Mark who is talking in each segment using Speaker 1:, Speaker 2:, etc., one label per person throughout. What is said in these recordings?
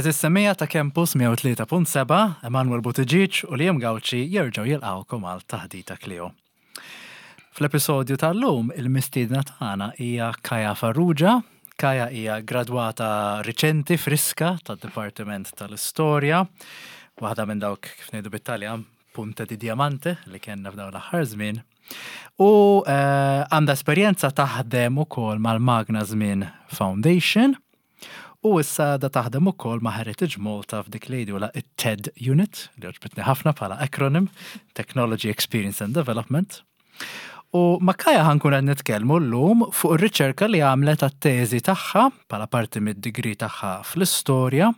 Speaker 1: Għeżież semmiegħa ta' Campus 103.7, Emanuel Buttigieg u Liam Gauci jerġgħu jilqgħukom għal Taħdita Clio. Fl-episodju tal-lum il-mistiedna tagħna hija Kaja Farrugia. Kaja hija gradwata riċenti friska tad-Dipartiment tal-Istorja, waħda minn dawk kif ngħidu bit-Taljan punta di diamante li kellna f'dawn l-aħħar żmien. U eh, għandha esperjenza taħdem ukoll mal-Magna Żmien Foundation u issa għadha taħdem ukoll ma' Heritage Malta f'dik li jgħidulha it-TED Unit, li għoġbitni ħafna bħala acronym, Technology Experience and Development. U ma' Kaja ħankun qed nitkellmu llum fuq ir-riċerka li għamlet għat-teżi tagħha bħala parti mid-degree tagħha fl-istorja.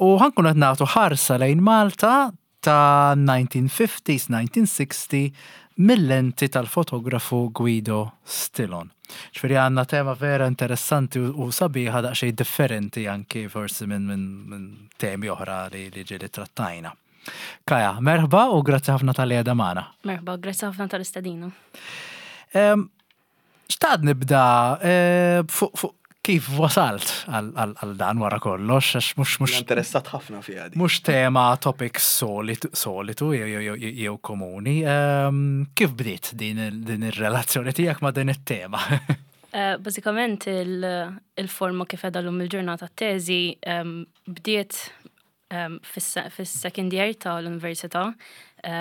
Speaker 1: U ħankun qed nagħtu ħarsa lejn Malta ta' 1950s, 1960 mill-lenti tal-fotografu Guido Stilon. Ġifieri għandna tema vera interessanti u sabiħa daqsxejn differenti anki forsi minn min, min temi oħra li, li ġieli trattajna. Kaja, merħba u grazzi ħafna tal-li għedha magħna.
Speaker 2: Merħba, grazzi ħafna tal-istedina.
Speaker 1: Xtaqt nibda eh, fuq kif wasalt għal dan wara kollox, għax mhux mhux.
Speaker 3: Interessat ħafna fiha
Speaker 1: di. Mhux tema topic solitu jew komuni. Ehm, kif bdiet din ir-relazzjoni tiegħek ma' din it-tema?
Speaker 2: Eh, bażikament il-forma kif edha l-lum il-ġurnata t-teżi ehm, bdiet fis-second year tal-università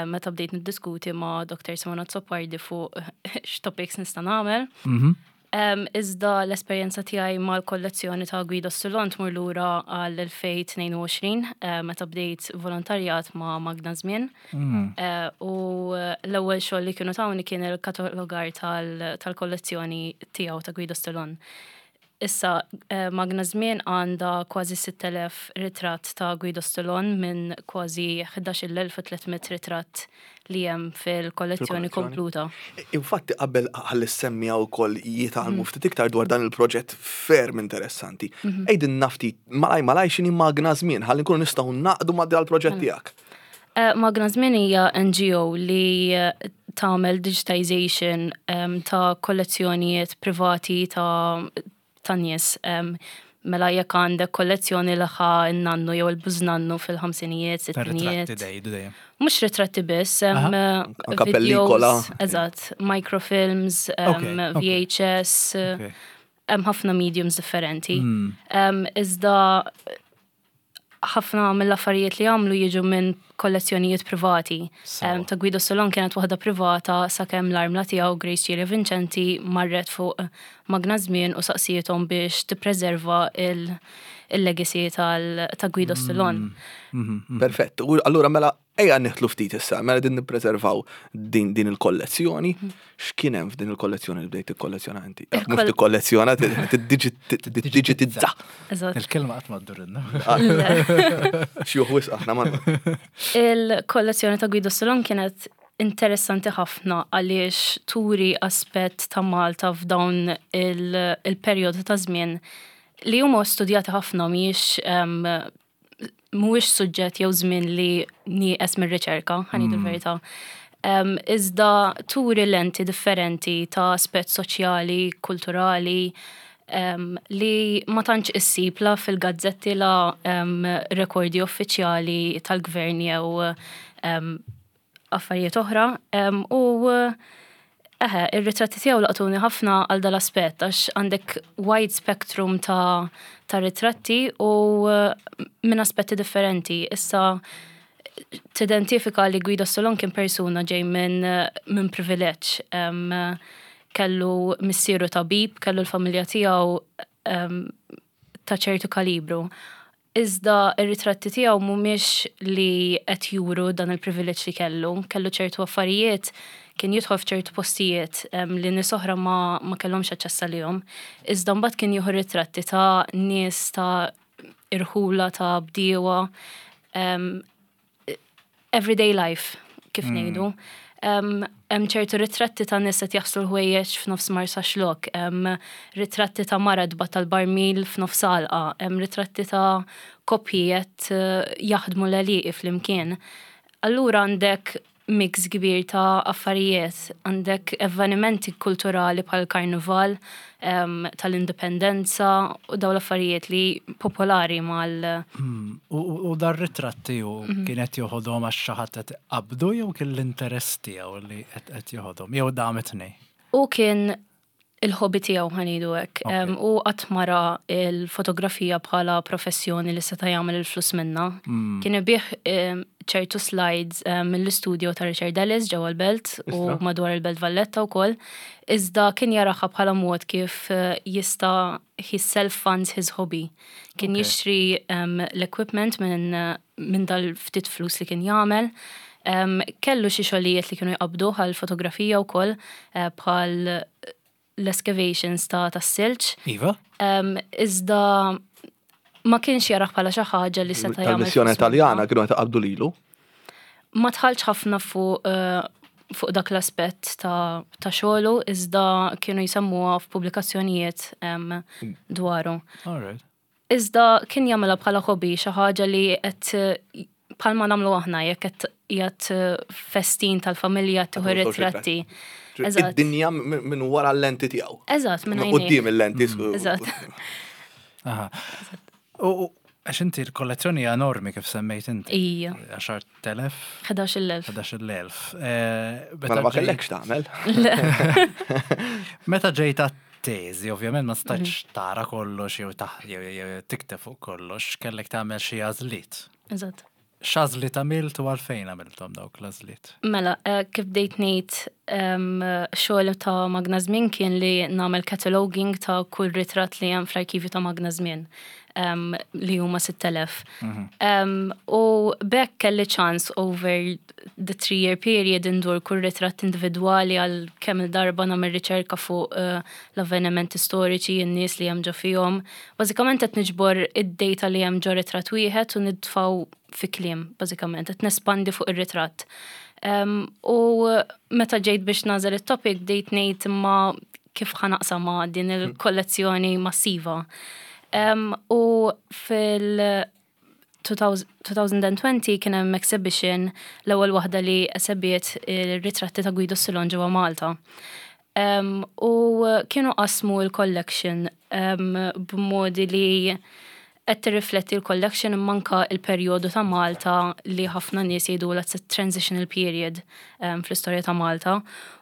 Speaker 2: meta bdejt niddiskuti ma' Dr. Simona Azzopardi fuq x'topics nista' nagħmel. Mhm. Iżda l-esperjenza tiegħi mal-kollezzjoni ta' Guido Stillon tmur lura għal-2022 meta bdejt volontarjat ma' Magna Żmien. Mm. U l-ewwel xogħol li kienu tawni kien il-katalogar tal-kollezzjoni tiegħu ta' Guido Stillon. Issa, Magna Żmien għandha kważi 6,000 ritratt ta' Guido Stillon minn kważi 11,300 ritratt li hemm fil-kollezzjoni kompluta.
Speaker 3: Infatti qabel ħalli s-semmiegħa wkoll jitgħallmu ftit iktar dwar dan il-proġett ferm interessanti. Għidilna ftit malaj malaj x'inhi Magna Żmien ħalli nkunu nistgħu naqdu ma' dal-proġett tiegħek.
Speaker 2: Magna Żmien hija NGO li tagħmel digitization ta' kollezzjonijiet privati ta' ta' nies. Mela jekk għandek kollezzjoni li ħa n-nannu jew il-bużnannu fil-ħamsinijiet, sittinijiet.
Speaker 1: Ritratti dejdu dejjem.
Speaker 2: Mhux ritratti biss, hemm videos, eżatt, microfilms, VHS, hemm ħafna mediums differenti. Hmm. Iżda ħafna mill-affarijiet li għamlu jiġu minn kollezzjonijiet privati. Ta' Guido Solon kienet waħda privata sakemm l-armla tiegħu Grace Cilia Vincenti marret fuq Magna Żmien u saqsietom biex tippreserva il-legacy ta' Guido Solon.
Speaker 3: Mm, mm, mm. Perfett. U allura mela ejja nidħlu ftit issa, mela din nippreservaw din din il-kollezzjoni. X'kien hemm f'din il-kollezzjoni li bdejt tikkollezzjona inti? Mhux tikkollezzjona, tiddiġitizza.
Speaker 1: Il-kelma qatt ma ddurinna.
Speaker 3: Xi wisq aħna ma.
Speaker 2: Il-kollezzjoni ta' Guido Solon kienet interessanti ħafna għaliex turi aspett ta' Malta f'dawn il-perjodu ta' żmien li huma studjati ħafna mhijiex mhuwiex suġġett jew żmien li nieqes mir-riċerka, ħanidu mm. l-verità. Um, iżda turi lenti differenti ta' aspett soċjali, kulturali, um, li ma tantx issib la fil-gazzetti la um, rekordi uffiċjali tal-gvern jew um, affarijiet oħra u eħe, ir-ritratti tiegħu laqtuni ħafna għal dal-aspett għax għandek wide spectrum ta', ta ritratti u minn aspetti differenti. Issa tidentifika li Guido Solon kien persuna ġej minn min privileġġ. Kellu missieru tabib, kellu l-familja tiegħu ta' ċertu kalibru. Iżda r-ritratti tiegħu mhumiex li qed juru dan il-privileġġ li kellu. Kellu ċertu affarijiet, kien jidħol f'ċertu postijiet li nies oħra ma, ma kellhomx aċċess għalihom. Iżda mbagħad kien jieħu ritratti ta' nies ta' irħula ta' bdiewa everyday life, kif mm. ngħidu. Hemm ċertu ritratti ta' nies qed jaħslu l-ħwejjeġ f'nofs Marsaxlokk, hemm ritratti ta' mara tbat tal-barmil f'nofs għalqa, hemm ritratti ta' koppji qed eh, jaħdmu l-għelieqi flimkien. Allura għandek mix kbir ta' affarijiet. Għandek avvenimenti kulturali bħal karnival tal-indipendenza u dawn l-affarijiet li popolari mal.
Speaker 1: U dar ritratti u kien qed joħodhom għax xi ħadd qed iqabbdu jew kien l-interess tiegħu li qed joħodhom jew dam it-tnejn?
Speaker 2: U kien il-hobby tiegħu ħa ngħidu hekk. U qatt ma ra l-fotografija bħala professjoni li seta' jagħmel il-flus minnha. Kien ibigħ ċertu slides mill-istudio ta' Richard Ellis ġewwa l-Belt u madwar il-Belt Valletta wkoll. Iżda kien jaraha bħala mod kif jista' he self-funds his hobby. Kien jixtri l-equipment minn dal-ftit flus li kien jagħmel. Kellu xi xogħlijiet li kienu jqabbduh għall-fotografija wkoll eh, bħal l-excavations ta' tas-silġ.
Speaker 1: Iva.
Speaker 2: Iżda ma kienx jarah bħala xi ħaġa li seta' jagħmel.
Speaker 3: Tal-missjoni Taljana kienu qed iqabbdu lilu.
Speaker 2: Ma dħaltx ħafna fuq eh, fuq dak l-aspett ta' ta' xogħlu iżda kienu jsemmuha f'pubblikazzjonijiet dwaru.
Speaker 1: All right.
Speaker 2: Iżda kien jagħmilha bħala hobby, xi ħaġa li qed bħalma nagħmlu aħna jekk qed qiegħed festin tal-familja tieħu ritratti.
Speaker 3: Id-dinja minn wara l-lenti tiegħu.
Speaker 2: Eżatt, minn
Speaker 3: quddiem il-lenti.
Speaker 2: Eżatt.
Speaker 1: U għax inti l-kollezzjoni hija enormi kif semmejt inti.
Speaker 2: Ija.
Speaker 1: 10,000?
Speaker 2: 11,000.
Speaker 1: 11,000.
Speaker 3: Mela ma kellekx tagħmel.
Speaker 1: Meta ġejt teżi, ovvjament ma stajtx mhm. tara kollox jew jew tikteb fuq kollox, kellek tagħmel xi għażliet.
Speaker 2: Eżatt.
Speaker 1: X'għażliet għamilt u għalfejn għamilthom dawk l-għażliet?
Speaker 2: Mela, eh, kif bdejt ngħid xogħol ta' Magna Żmien kien li nagħmel cataloging ta' kull ritratt li hemm fl-arkivju ta' Magna Żmien li huma 6000. Mhm. U bekk kelli ċans over the three year period indur kull ritratt individwali għal kemm il-darba nagħmel riċerka fuq eh, l-avvenimenti storiċi, n-nies li hemm ġo fihom. Bażikament qed niġbor id-data li hemm ġo ritratt wieħed u nitfgħu fi kliem, bażikament, qed nespandi fuq ir-ritratt. U meta ġejt biex nagħżel it-topic bdejt ngħid imma kif ħa naqsamha din il-kollezzjoni massiva. U fil- 2020 kien hemm exhibition l-ewwel waħda li esebiet ir-ritratti ta' Guido Silon ġewwa Malta. U kienu qasmu l-collection b'modi li qed tirrifletti l-collection imma anke l-perjodu ta' Malta li ħafna nies jgħidulha it's a transitional period fl-istorja ta' Malta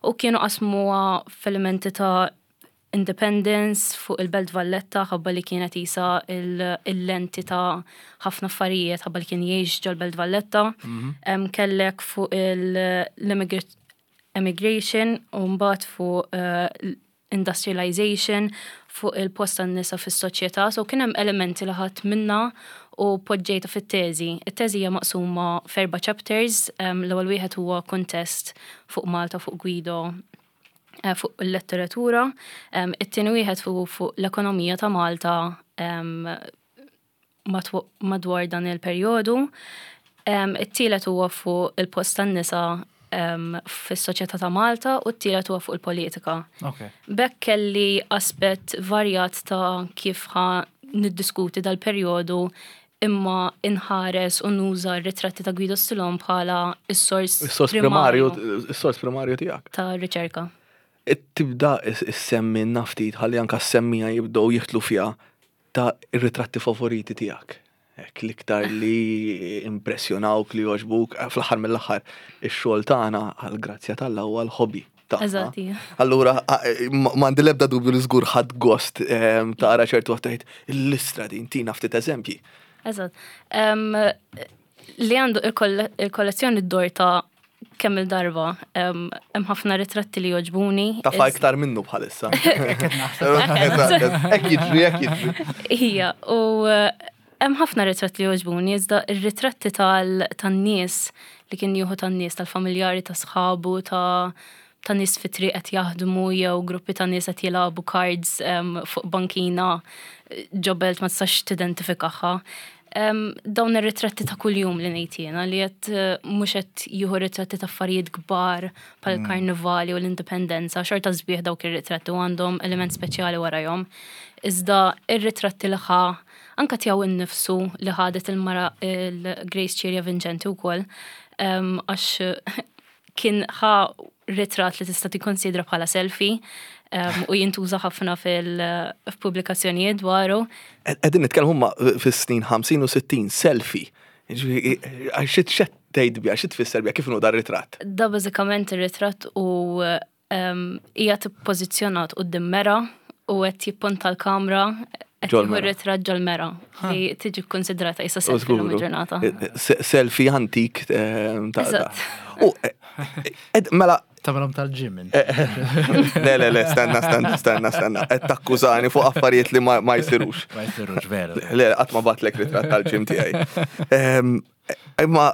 Speaker 2: u kienu qasmuha f'elementi ta' independence fuq il-Belt Valletta ħabba li kienet isa il-lenti ta' ħafna affarijiet ħabba li kien jgħix ġol-Belt Valletta. Mhm. Kellek fuq l-emigration u mbagħad fuq eh, industrialization fuq il-post tan-nisa fis-soċjetà, so kien hemm elementi li ħadt minna u poġġejta fit-teżi. It-teżi hija maqsuma f'erba' chapters, l-ewwel wieħed huwa kuntest fuq Malta fuq Guido eh, fuq il-letteratura, it-tieni wieħed fuq l-ekonomija ta' Malta madwar dan il-perjodu. It-tielet huwa fuq il-post tan-nisa fis-soċjetà ta' Malta u t-tielet huwa fuq il-politika. B'hekk kelli aspett varjat ta' kif ħa niddiskuti dal-perjodu imma inħares u nuża r-ritratti ta' Guido Stilon bħala s-sors
Speaker 3: Is-sors primarju, is-sors primarju tiegħek.
Speaker 2: Ta' riċerka.
Speaker 3: Tibda issemmi ftit ħalli anka s-semmija jibdew jidħlu fiha ta' ir-ritratti favoriti tiegħek. Hekk l-iktar li impressjonawk li jogħġbuk, eh, fl-aħħar mill-aħħar ix-xogħol tagħna għall-grazzja t'Alla huwa l-hobby tagħna.
Speaker 2: Eżatt, ija.
Speaker 3: Allura eh, m'għandi l-ebda dubju li żgur ħadd gost ehm, tara ċertu għattajt l-istra din tina ftit eżempji.
Speaker 2: Eżatt. Li għandu il-kollezzjoni d-dor ta' kemm il-darba hemm ħafna ritratti li jogħġbuni.
Speaker 3: Tafa iktar minnu bħalissa. Hekk jiġri, hekk jiġri.
Speaker 2: Ija, u eh, hemm ħafna ritratti li jogħġbuni, iżda ir-ritratti tan-nies li kien jieħu tan-nies, tal-familjari, ta' sħabu, ta' ta' nies fi triq qed jaħdmu jew gruppi ta' nies qed jilagħbu cards fuq bankina ġo belt ma tistax tidentifikaha. Dawn ir-ritratti ta' kuljum li ngħid jiena li qed eh, mhux qed jieħu ritratti ta' affarijiet kbar bħal mm. karnivali u l-indipendenza, xorta sbieħ dawk ir-ritratti u għandhom element speċjali warajhom. Iżda ir-ritratti li ħa anka tiegħu innifsu li ħadet il-mara il-Grace Ċirja Vincenti wkoll għax Kien ħa ritratt li tista' tikkonsidra bħala selfie u jintuża ħafna fil-pubblikazzjonijiet dwaru.
Speaker 3: Qegħdin nitkellmu ma fis-snin 50 u 60 selfie. Għax xi tgħid biha, xi tfisser biha, kif inhu dar ritratt?
Speaker 2: Da bażikament ir-ritratt u qiegħed ippożizzjonat quddiem mera u qed jipponta l-kamra qed jieħu ritratt ġol-mera li tiġi kkonsidrata issa selfie l ġurnata.
Speaker 3: Selfie antik ta' U mela
Speaker 1: Tagħmelhom tal-ġim.
Speaker 3: Le, le, le, stenna, stenna, stenna, stenna. Qed takkużani fuq affarijiet li ma jsirux.
Speaker 1: Ma jsirux vera.
Speaker 3: Le, qatt ma batlek ritratt tal-ġim tiegħi. Imma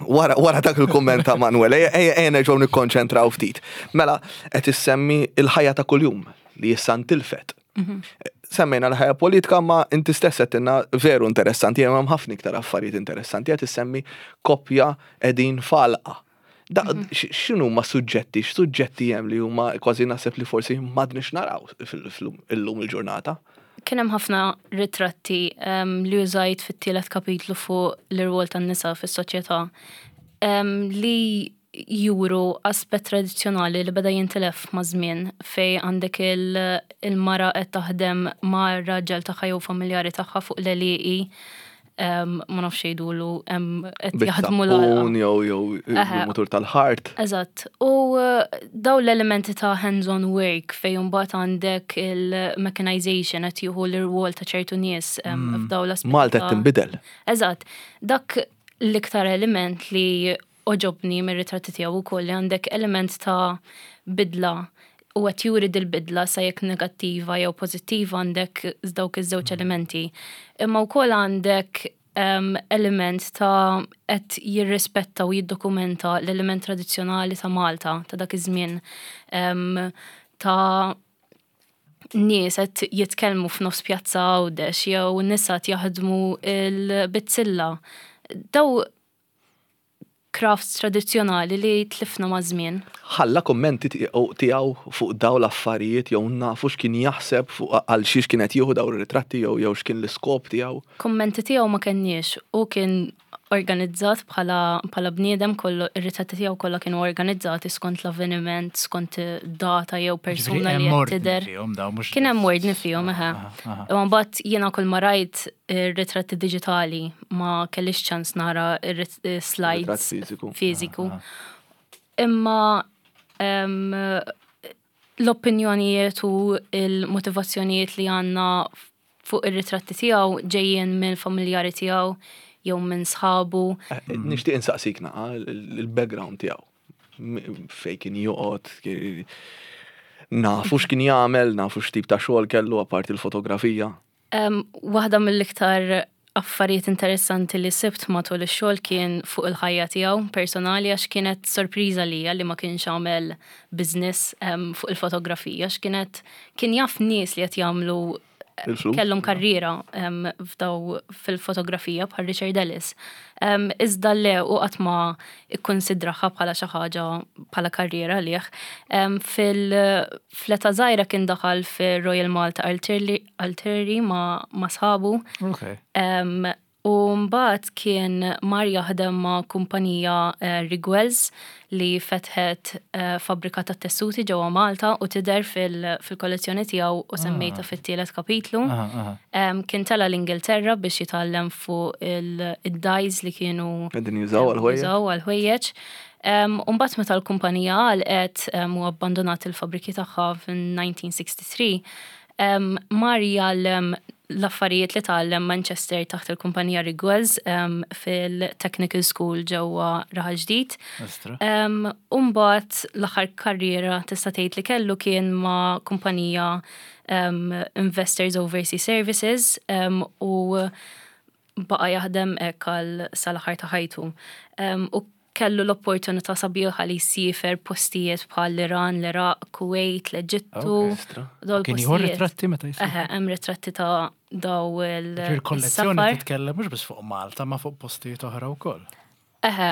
Speaker 3: wara, wara dak il-kumment ta' Manuel, ejja nerġgħu nikkonċentraw ftit. Mela, qed issemmi il-ħajja ta' kuljum li issa ntilfet. Mhm. Semmejna l-ħajja politika ma inti stess qed veru interessanti, hemm ħafna iktar affarijiet interessanti qed issemmi koppja qegħdin falqa. Da, mhm. x'inhu ma suġġetti, x'suġġetti hemm li huma kważi naħseb li forsi m'għadniex naraw illum il-ġurnata?
Speaker 2: Kien hemm ħafna ritratti li użajt fit-tielet kapitlu fuq l-irwol tan-nisa fis-soċjetà li juru aspett tradizzjonali li beda jintilef maż-żmien fejn għandek il-mara qed taħdem ma' raġel tagħha jew familjari tagħha fuq l-għelieqi ma nafx jgħidulu
Speaker 3: qed jaħdmu l jew jew il-mutur tal-ħart.
Speaker 2: Eżatt. U eh, daw l-elementi ta' hands-on work fejn mbagħad għandek il-mechanization qed jieħu l-irwol ta' ċertu nies mm. f'daw
Speaker 3: l-aspetti. Malta qed tinbidel.
Speaker 2: Eżatt. Dak l-iktar element li għoġobni mir-ritratti tiegħu wkoll li għandek element ta' bidla u qed juri dil-bidla sa jekk negattiva jew pożittiva għandek dawk iż-żewġ elementi. Imma wkoll għandek um, element ta' qed jirrispetta u jiddokumenta l-element tradizzjonali ta' Malta ta' dak iż-żmien um, ta' nies qed jitkellmu f'nofs pjazza Għawdex jew nisa qed jaħdmu il-bizzilla. Daw crafts tradizzjonali li tlifna maż-żmien.
Speaker 3: Ħalla kummenti tiegħu fuq dawn l-affarijiet jew nafu x'kien jaħseb fuq għal xiex kien qed jieħu dawn ir-ritratti jew jew x'kien l-iskop tiegħu?
Speaker 2: Kummenti tiegħu ma kenniex. Hu kien organizzat bħala bħala bniedem kollu ir-ritratti tiegħu kollha kienu organizzati skont l-avveniment, skont data jew persuna li qed tidher. Kien hemm ordni fihom eħe. Imma mbagħad jiena kull ma rajt ir-ritratti diġitali ma kellix ċans nara slides fiżiku. Imma l-opinjonijiet u l-motivazzjonijiet li għandna fuq ir-ritratti tiegħu ġejjin minn familjari tiegħu jew minn sħabu.
Speaker 3: Eh, nixtieq insaqsik naqa il-background tiegħu. Fej kien joqgħod, nafu x'kien jagħmel, nafu x'tip ta' xogħol kellu apparti l-fotografija.
Speaker 2: Waħda mill-iktar affarijiet interessanti li sibt matul ix-xogħol kien fuq il-ħajja tiegħu personali għax kienet sorpriża lija li ma kienx għamel business fuq il-fotografija għax kienet kien jaf nies li qed jagħmlu kellhom karriera f'daw fil-fotografija bħal Richard Ellis. Iżda le u qatt ma ikkonsidraha bħala xi ħaġa bħala karriera għalih. Fil-età żgħira kien daħal fir-Royal Malta Artillery ma' sħabu. U mbagħad kien mar jaħdem ma' kumpanija eh, Rigwells li fetħet eh, fabbrika ta' tessuti ġewwa Malta u tidher fil-kollezzjoni tiegħu u semmejta ah. fit-tielet kapitlu. Kien tela l-Ingilterra biex jitgħallem fuq il-dyes li kienu
Speaker 3: Qegħdin jużaw għal-ħwejjeġ.
Speaker 2: Jużaw għal-ħwejjeġ. U mbagħad meta l-kumpanija għalqet u abbandonat il-fabbriki tagħha fin-1963, mar jgħallem l-affarijiet li tgħallem Manchester taħt il-kumpanija Rigwells fil-Technical School ġewwa Raħal Ġdid. U mbagħad l-aħħar karriera tista' tgħid li kellu kien ma' kumpanija Investors Overseas Services u baqa' jaħdem hekk għal sal-aħħar ta' ħajtu. U kellu l-opportunità sabiħa li jsiefer postijiet bħal l-Iran, l-Iraq, Kuwait, l-Eġittu.
Speaker 1: Kien jieħu ritratti meta jsiefer?
Speaker 2: Eħe, hemm ritratti ta' daw il-
Speaker 1: Il-kollezzjoni titkellem mhux biss fuq Malta, ma fuq postijiet oħra wkoll.
Speaker 2: Eħe,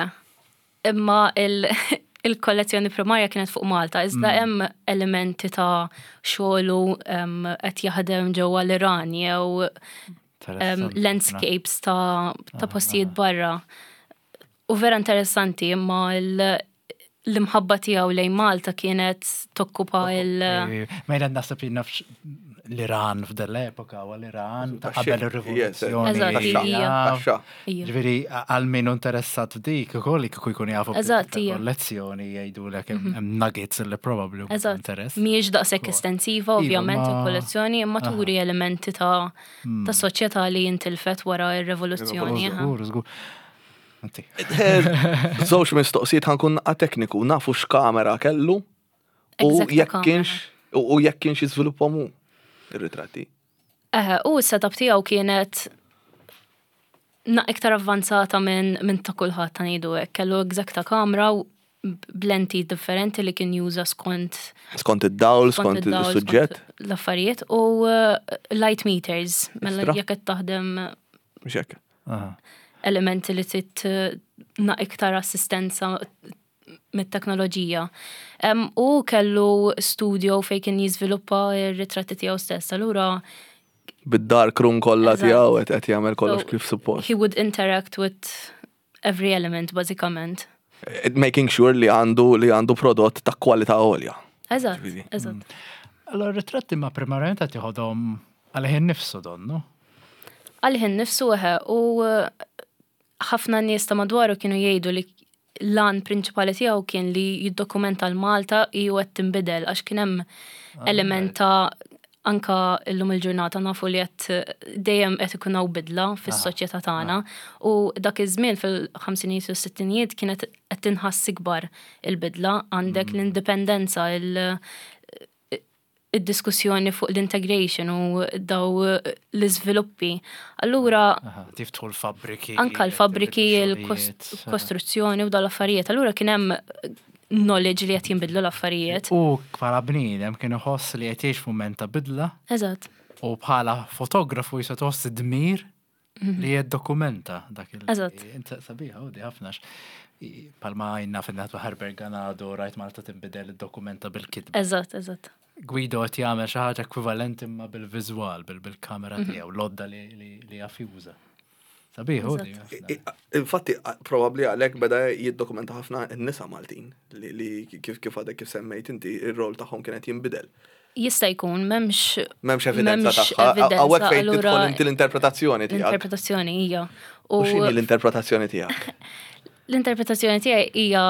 Speaker 2: imma il-kollezzjoni primarja kienet fuq Malta, iżda mm. hemm elementi ta' xogħlu qed jaħdem ġewwa l-Iran jew landscapes ta' postijiet barra. U vera interessanti imma l-imħabba tiegħu lejn Malta kienet tokkupa il-
Speaker 1: Mejda naħseb li nafx l-Iran f'dell-epoka u l-Iran ta' qabel ir-rivoluzzjoni. Ġifieri għal min interessat f'dik ukoll kieku jkun jafu kollezzjoni jgħidulek hemm mhm. nuggets li probabbli
Speaker 2: interess. Mhijiex daqshekk estensiva iva, ovvjament il-kollezzjoni imma turi elementi ta' hmm. ta' soċjetà li jintilfet wara r-rivoluzzjoni.
Speaker 1: Żgur, żgur.
Speaker 3: Żewġ mistoqsijiet ħankun naqqa tekniku, nafu x'kamera kellu u jekk kienx u jekk kienx jiżviluppahom hu ir-ritratti.
Speaker 2: Eħe, u s-setup tiegħu kienet na iktar avvanzata minn min ta' kulħadd ta' ngħidu hekk. Kellu egzakta kamera u b'lenti differenti li kien juża skont
Speaker 3: Skont id-dawl, skont is-suġġett.
Speaker 2: L-affarijiet u eh, light meters, mela jekk qed taħdem
Speaker 3: Mhux hekk.
Speaker 2: Elementi li trid na iktar assistenza mit-teknoloġija. U kellu studio fejn kien jiżviluppa r-ritratti tiegħu stess. Allura
Speaker 3: bid-dark room kollha tiegħu qed jagħmel kollox kif suppost.
Speaker 2: He would interact with every element bażikament.
Speaker 3: Making sure li għandu li għandu prodott ta' kwalità għolja.
Speaker 2: Eżatt, eżatt. Mm.
Speaker 1: Allora ritratti ma primarjament qed jieħodhom għalih innifsu donnu.
Speaker 2: Għalih innifsu eħe u eh, ħafna nies ta' madwaru kienu jgħidu li l-għan prinċipali tiegħu kien li jiddokumenta l-Malta ju qed tinbidel għax kien hemm ah, element ta' anka illum il-ġurnata nafu li qed dejjem qed ikun hawn bidla fis-soċjetà tagħna u dak iż-żmien fil-ħamsinijiet u s-sittinijiet kienet qed tinħass ikbar il-bidla għandek mm. l-indipendenza id-diskussjoni fuq l-integration u daw l-iżviluppi. Allura
Speaker 1: tiftħu l-fabbriki.
Speaker 2: Anka l-fabbriki, il-kostruzzjoni u dal-affarijiet. Allura kien hemm knowledge li qed jinbidlu l-affarijiet.
Speaker 1: U bħala bniedem kien iħoss li qed jgħix f'mument ta' bidla.
Speaker 2: Eżatt.
Speaker 1: U bħala fotografu jista' tħoss id-dmir mhm. li jiddokumenta dak il.
Speaker 2: Eżatt.
Speaker 1: Sabiħa, u di ħafna. Palma għajna fil-natu Herbert Ganado rajt Malta tinbidel id-dokumenta bil-kitba.
Speaker 2: Eżatt, eżatt.
Speaker 1: Guido qed jagħmel xi ħaġa ekwivalenti imma bil-viżwal, bil-kamera mhm. tiegħu, l-odda li jaf juża. Sabiħ,
Speaker 3: Infatti, probabli għalhekk beda jiddokumenta ħafna n-nisa Maltin li kif kif għadek kif semmejt inti ir-rol tagħhom kienet jinbidel.
Speaker 2: Jista' jkun m'hemmx
Speaker 3: M'hemmx evidenza tagħha. Hawnhekk fejn tidħol inti l-interpretazzjoni
Speaker 2: tiegħek. L-interpretazzjoni hija.
Speaker 3: U x'inhi l-interpretazzjoni tiegħek?
Speaker 2: L-interpretazzjoni tiegħi hija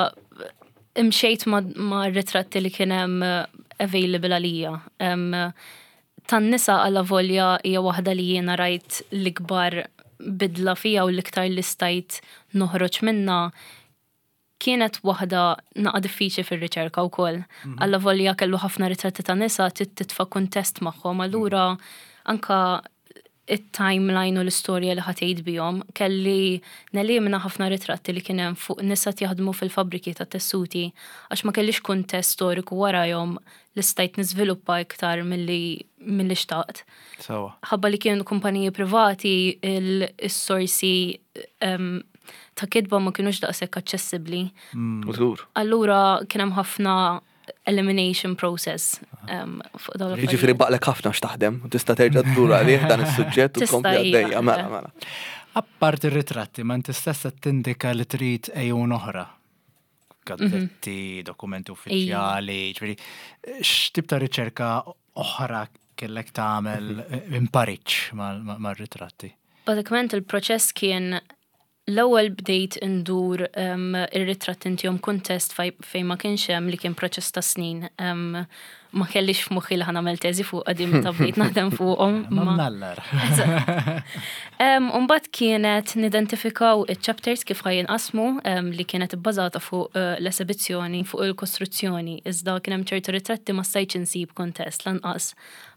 Speaker 2: imxejt ma' ritratti li kien hemm available għalija. Tan-nisa alavolja hija waħda li jiena rajt l-ikbar bidla fiha u l-iktar li stajt noħroġ minnha kienet waħda naqa' diffiċli fir-riċerka wkoll. Mhm. Allavolja kellu ħafna ritratti ta' nisa trid titfa' kuntest magħhom, allura anka it-timeline u l-istorja li ħatejt bihom, kelli nelimina ħafna ritratti li kien hemm fuq nisa jaħdmu fil-fabbriki ta' tessuti għax ma kellix kuntest storiku warajhom li stajt niżviluppa iktar milli milli xtaqt.
Speaker 1: Sewa.
Speaker 2: Ħabba li kienu kumpaniji privati il-sorsi ta' kitba ma kienux daqshekk aċċessibbli.
Speaker 3: Mm. Żgur.
Speaker 2: Allura kien hemm ħafna elimination process fuq dawn
Speaker 3: l Jiġifieri baqlek ħafna x'taħdem, tista' terġa' ddur għalih dan is-suġġett u tkompli għaddejja mela mela.
Speaker 1: Apparti r-ritratti, ma inti stess qed tindika li trid ejjun oħra. Gazzetti, mhm. dokumenti uffiċjali, ġifieri x'tip ta' riċerka oħra kellek tagħmel mhm. impariċ mar-ritratti?
Speaker 2: Bażikament il-proċess kien L-ewwel bdejt indur ir-ritratt intihom kuntest fejn ma kienx hemm li kien proċess ta' snin. Ma kellix f'moħħi li ħa nagħmel teżi fuqha din meta bdejt naħdem fuqhom.
Speaker 1: Ma mnallar.
Speaker 2: U mbagħad kienet nidentifikaw iċ-chapters kif ħa jinqasmu li kienet ibbażata fuq eh, l-esebizzjoni fuq il-kostruzzjoni iżda kien hemm ċertu ritratti ma stajtx insib kuntest lanqas.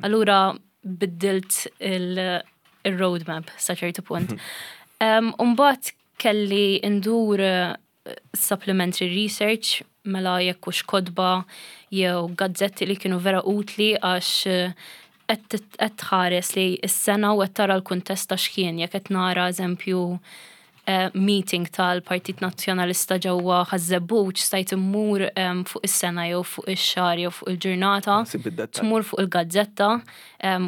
Speaker 2: Allura biddilt il-roadmap sa ċertu punt. Umbat kelli ndur eh, supplementary research mela jekk hux kotba jew gazzetti li kienu vera utli għax eh, qed tħares li s-sena u qed tara l-kuntest ta' x'kien jekk qed nara eżempju eh, meeting tal-Partit Nazzjonalista ġewwa Ħaż-Żebbuġ stajt immur fuq is-sena jew fuq ix-xahar jew fuq il-ġurnata, tmur fuq il-gazzetta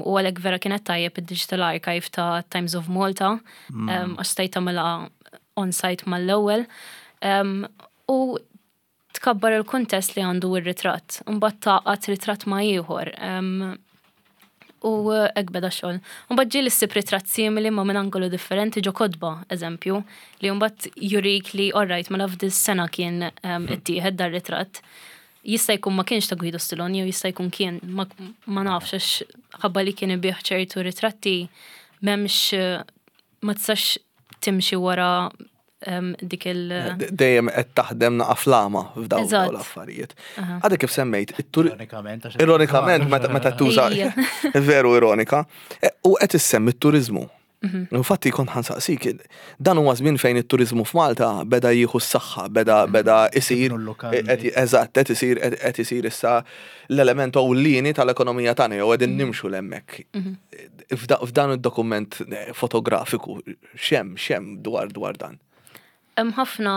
Speaker 2: u għalhekk vera kienet tajjeb id-Digital Archive ta' Times of Malta mm. għax stajt tagħmilha on-site mal-ewwel. U tkabbar il-kuntest li għandu r-ritratt, mbagħad tgħaqqad ritratt ma' ieħor. U hekk beda x-xogħol. Mbagħad ġieli ssib ritratt simili ma' minn angolu differenti ġo kotba, eżempju, li mbagħad jurik li alright mela f'dis-sena kien ittieħed dar-ritratt. Jista' jkun ma kienx ta' Guido Stiloni jew jista' jkun kien, ma, ma nafx għax ħabba li kien ibih ċertu ritratti m'hemmx ma tistax timxi wara dik il-
Speaker 3: Dejjem qed taħdem naqa' flama f'dawn l-affarijiet. Għadek kif semmejt,
Speaker 1: Ironikament,
Speaker 3: ironikament meta tuża veru ironika, e, u qed issemmi t-turiżmu. Mhm. Infatti kont ħansaqsik, dan huwa żmien fejn it-turiżmu f'Malta beda jieħu s-saħħa, beda mhm. beda isir eżatt qed isir qed isir issa l-element ewlieni tal-ekonomija tagħna jew qegħdin mhm. nimxu l-hemmhekk. F'dan id-dokument eh, fotografiku X'hemm, x'hemm dwar dwar dan?
Speaker 2: Hemm ħafna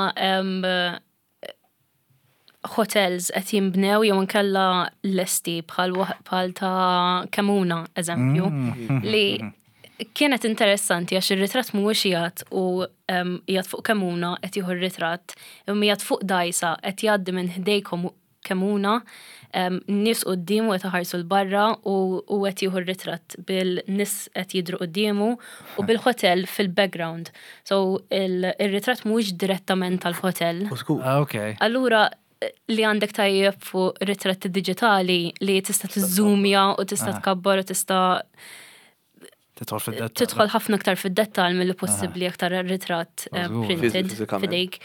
Speaker 2: hotels qed jinbnew jew inkella lesti bħal bħal ta' Kemuna, eżempju, mm. li kienet interessanti għax ir-ritratt mhuwiex qiegħed u qiegħed fuq Kemuna qed jieħu r-ritratt, imma qiegħed fuq dgħajsa qed jgħaddi minn ħdejkom Kemmuna, nies quddiemu qed iħarsu 'l barra u hu qed jieħu r-ritratt bil-nies qed jidhru quddiemu u bil-hotel fil-background. So ir-ritratt mhuwiex direttament tal-hotel.
Speaker 1: Ah, okay.
Speaker 2: Allura li għandek tajjeb fuq ritratti diġitali li tista' tiżżumja u tista' ah. tkabbar u tista'
Speaker 1: Tidħol fid-dettall.
Speaker 2: Tidħol ħafna aktar fid-dettall milli possibbli aktar ritratt eh, printed fidejk.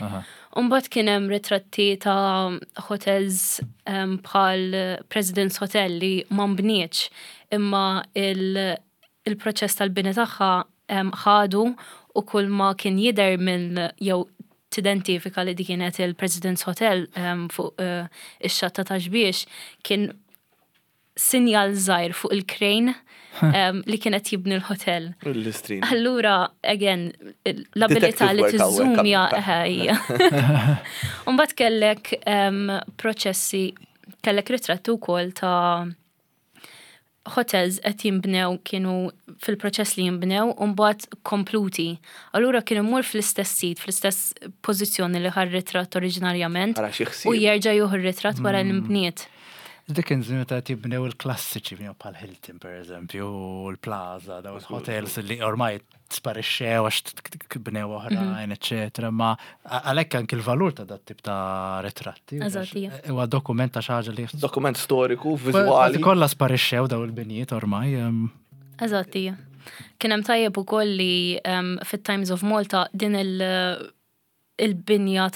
Speaker 2: Umbagħad kien hemm ritratti ta' hotels ehm, bħal President's Hotel li ma nbnietx imma il-proċess tal-bini tagħha ehm, ħadu u kull ma kien jidher minn jew tidentifika li dik kienet il-President's Hotel ehm, fuq eh, ix-xatt ta' Xbiex kien sinjal żgħir fuq il-crane li kien qed jibni l-hotel. Allura, again, l-abilità li tiżżumja ħajja. Umbagħad kellek proċessi, kellek ritratti wkoll ta' hotels qed jinbnew kienu fil-proċess li jinbnew u mbagħad kompluti. Allura kien imur fl-istess sit, fl-istess pożizzjoni li ħa r-ritratt oriġinarjament u jerġa' jieħu r-ritratt wara li nbniet.
Speaker 1: Dik kien żmien meta jibnew il-klassiċi bnew bħal Hilton per eżempju, u l-Plaza, daw il-hotels li ormai sparixxew għax bnew oħrajn, mhm. eċetera, ma għalhekk anki l-valur ta' dat tip ta' ritratti. Huwa dokument ta' xi ħaġa li
Speaker 3: Dokument storiku, viżwali.
Speaker 1: Kollha sparixxew daw il-binjiet ormai.
Speaker 2: Eżatt, hija. Kien hemm tajjeb ukoll li fit-Times of Malta din il- il-binja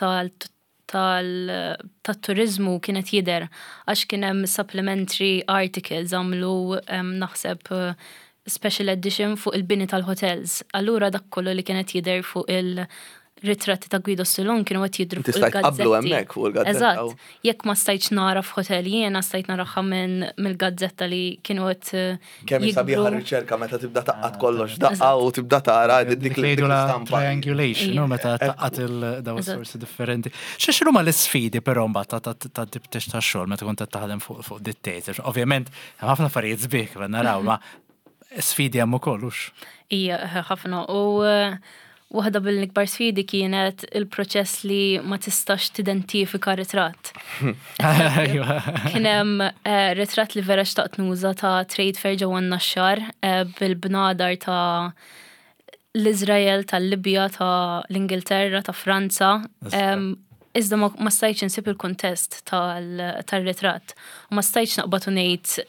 Speaker 2: tat-turiżmu kienet jidher għax kien hemm supplementary articles għamlu naħseb special edition fuq il-bini tal-hotels. Allura dak kollu li kien qed jidher fuq il-ritratti ta' Guido Stilon kienu qed jidhru fuq
Speaker 3: il-gazzetti. hemmhekk fuq il-gazzetta.
Speaker 2: Eżatt. Jekk ma stajtx nara f'hotel jiena stajt naraha minn mill-gazzetta li kienu qed
Speaker 3: Kemm hi sabiħa r-riċerka meta tibda taqqad ah, kollox daqqa u tibda tara dik
Speaker 1: l-istampa. Triangulation, no, meta taqqad il-daw sorsi differenti. X'inhu ma l-isfidi però mbagħad ta' dibtex ta' xogħol meta kont qed taħdem fuq dit-teaser. Ovvjament, hemm ħafna affarijiet sbieħ kif naraw, ma sfidi hemm ukoll hux.
Speaker 2: Ija, ħafna. U eh, Waħda mill-ikbar sfidi kienet il-proċess li ma tistax tidentifika ritratt. Kien hemm eh, ritratt li vera xtaqt nuża ta' trade fair ġewwa n-Naxxar eh, bil-bnadar ta' l-Iżrael, tal-Libja, ta' l-Ingilterra, ta' Franza. Iżda ma stajtx insib il-kuntest tal-ritratt. U ma stajtx naqbad u ngħid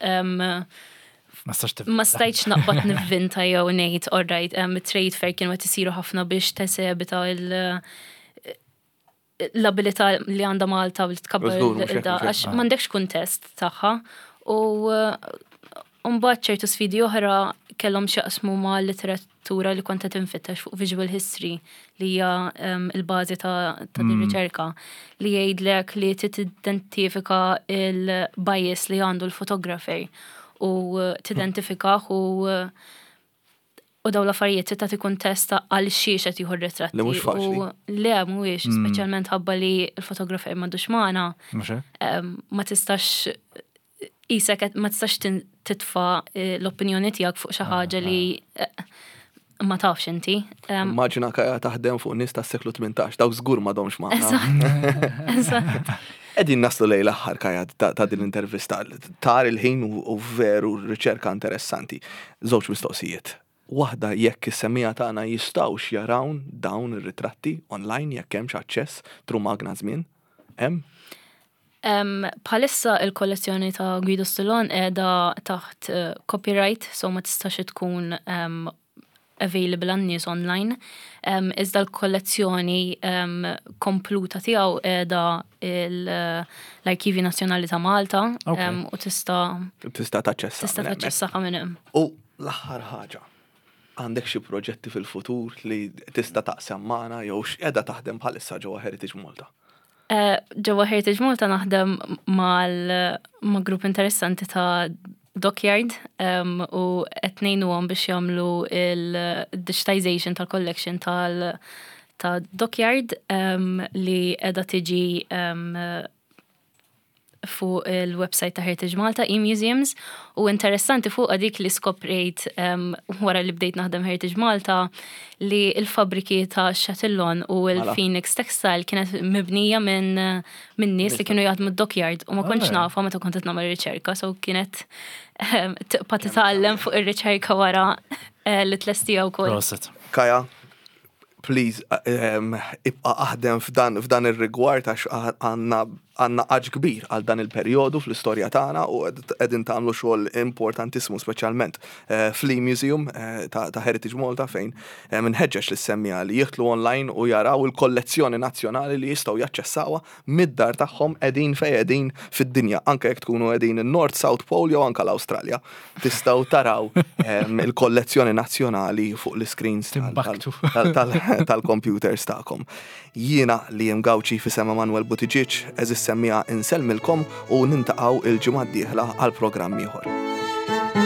Speaker 2: Ma stajtx naqbad nivvinta jew ngħid all right, trade fair kienu qed isiru ħafna biex tesebita il- l-abilità li għandha Malta li tkabbar għax m'għandekx kuntest tagħha u mbagħad ċertu sfidi oħra kellhom x'jaqsmu ma' literatura li kont qed infittex fuq visual history li hija il-bażi ta' din mm. riċerka li jgħidlek li tidentifika il-bias li għandu l-fotografer u tidentifikah u u daw l-affarijiet trid tagħti kuntest ta' għal xiex qed jieħu r-ritratti.
Speaker 3: Li mhux faċli.
Speaker 2: Le mhuwiex, mm. speċjalment ħabba li l-fotografer m'għandux magħna. Ma tistax isek ma tistax titfa eh, l-opinjoni tiegħek fuq xi ah, ħaġa li ah. eh, ma tafx inti.
Speaker 3: Immaġina kaja taħdem fuq nies tas-seklu 18, dawk żgur m'għadhomx
Speaker 2: magħna. Eżatt.
Speaker 3: Qegħdin naslu lejn l-aħħar Kaja ta' din l-intervista. Tar il-ħin u veru riċerka interessanti. Żewġ mistoqsijiet. Waħda jekk is-semmiegħa tagħna jistgħux jarawn dawn ir-ritratti online jekk hemmx aċċess through magna żmien. Hemm?
Speaker 2: Bħalissa il-kollezzjoni ta' Guido Stallone qiegħda taħt eh, copyright, so ma tistax tkun available għan-nies online. Iżda l-kollezzjoni kompluta tiegħu qiegħda l-Arkivju Nazzjonali ta' Malta u tista'
Speaker 3: tista' taċċessa.
Speaker 2: Tista' taċċessaha minn hemm.
Speaker 3: U l-aħħar ħaġa, għandek xi proġetti fil-futur li tista' taqsam magħna jew x'qiegħda taħdem bħalissa ġewwa Heritage Malta?
Speaker 2: Eh, ġewwa Heritage Malta naħdem mal ma' grupp interessanti ta' Dockyard um, u qed ngħinuhom biex jagħmlu il-digitization tal-collection tal ta' Dockyard um, li qiegħda tiġi um, fuq il-website ta' Heritage Malta, e-Museums, u interessanti fuq dik li skoprejt um, wara li bdejt naħdem Heritage Malta li il-fabriki ta' Chatillon u mela. l-Phoenix Textile kienet mibnija minn min nies li kienu jaħdmu d-dockyard u ma kontx nafa meta kont qed nagħmel riċerka, so kienet tibqa' titgħallem fuq ir-riċerka wara eh, li tlestija wkoll.
Speaker 3: Kaja, please, ehm, ibqa aħdem f'dan f'dan ir-rigward għax għandna għandna għaġ kbir għal dan il-perjodu fl-istorja tagħna u qegħdin tagħmlu xogħol importantissimu speċjalment eh, fl-Museum eh, ta' Heritage Malta fejn eh, minħeġġeġ li semmija li jidħlu online u jaraw il-kollezzjoni nazzjonali li jistgħu jaċċessawha mid-dar tagħhom qegħdin fejn qegħdin fid-dinja, anke jekk tkunu qegħdin in-North South Pole jew anke l-Awstralja. Tistgħu taraw ehm, il-kollezzjoni nazzjonali fuq l-screens tal-computers tagħkom. Jiena li jem Gawċi fisem Emanuel Buttigieg, eżis semmija insellmilkom u nintaqgħu il-ġimgħa d-dieħla għal programm ieħor.